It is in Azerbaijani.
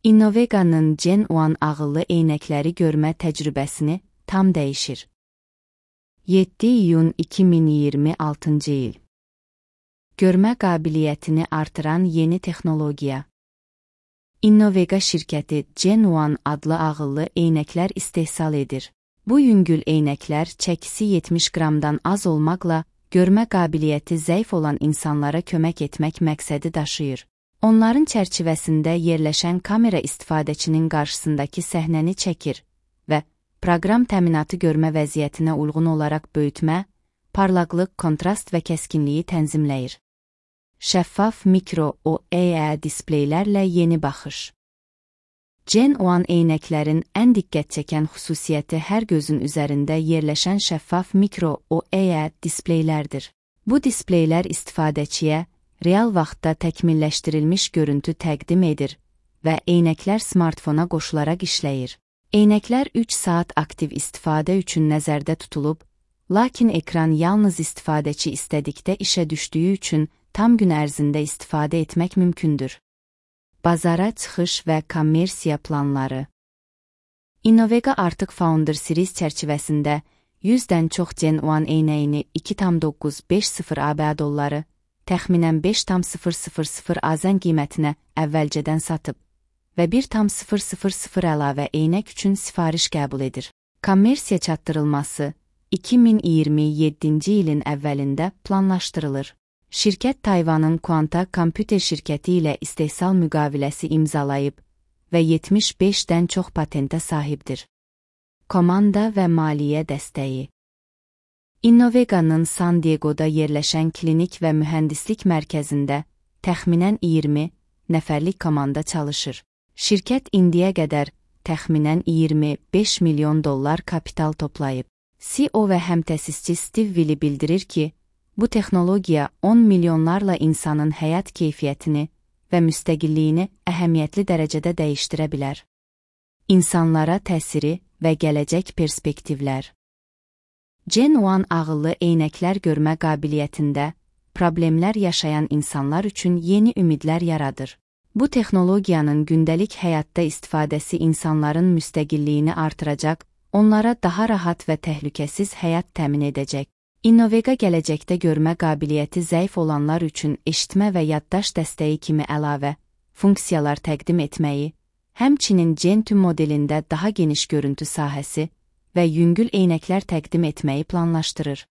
Innoveganın Gen 1 ağıllı eynəkləri görmə təcrübəsini tam dəyişir. 7 iyun 2026 il. Görmə qabiliyyətini artıran yeni texnologiya. Innovega şirkəti Gen 1 adlı ağıllı eynəklər istehsal edir. Bu yüngül eynəklər çəkisi 70 qramdan az olmaqla görmə qabiliyyəti zəif olan insanlara kömək etmək məqsədi daşıyır. Onların çərçivəsində yerləşən kamera istifadəçinin qarşısındakı səhnəni çəkir və proqram təminatı görmə vəziyyətinə uyğun olaraq böyütmə, parlaqlıq, kontrast və kəskinliyi tənzimləyir. Şəffaf mikro OLED displeylərlə yeni baxış. Gen 1 eynəklərin ən diqqət çəkən xüsusiyyəti hər gözün üzərində yerləşən şəffaf mikro OLED displeylərdir. Bu displeylər istifadəçiyə real vaxtda təkmilləşdirilmiş görüntü təqdim edir və eynəklər smartfona qoşularaq işləyir. Eynəklər 3 saat aktiv istifadə üçün nəzərdə tutulub, lakin ekran yalnız istifadəçi istədikdə işə düşdüyü üçün tam gün ərzində istifadə etmək mümkündür. Bazara çıxış və kommersiya planları. Innovega artıq Founder Series çərçivəsində 100-dən çox Gen 1 eynəyini 2,950 ABŞ dolları, təxminən 5,000 AZN qiymətinə əvvəlcədən satıb və 1,000 əlavə eynək üçün sifariş qəbul edir. Kommersiya çatdırılması 2027-ci ilin əvvəlində planlaşdırılır. Şirkət Tayvanın Quanta kompüter şirkəti ilə istehsal müqaviləsi imzalayıb və 75-dən çox patentə sahibdir. Komanda və maliyyə dəstəyi. Innoveganın San Diego'da yerləşən klinik və mühəndislik mərkəzində təxminən 20 nəfərlik komanda çalışır. Şirkət indiyə qədər təxminən 25 milyon dollar kapital toplayıb. CEO və həmtəsisçi Steve Willi bildirir ki, bu texnologiya 10 milyonlarla insanın həyat keyfiyyətini və müstəqilliyini əhəmiyyətli dərəcədə dəyişdirə bilər. İnsanlara təsiri və gələcək perspektivlər. Gen 1 ağıllı eynəklər görmə qabiliyyətində problemlər yaşayan insanlar üçün yeni ümidlər yaradır. Bu texnologiyanın gündəlik həyatda istifadəsi insanların müstəqilliyini artıracaq, onlara daha rahat və təhlükəsiz həyat təmin edəcək. Innovega gələcəkdə görmə qabiliyyəti zəif olanlar üçün eşitmə və yaddaş dəstəyi kimi əlavə funksiyalar təqdim etməyi, həmçinin Gen 2 modelində daha geniş görüntü sahəsi və yüngül eynəklər təqdim etməyi planlaşdırır.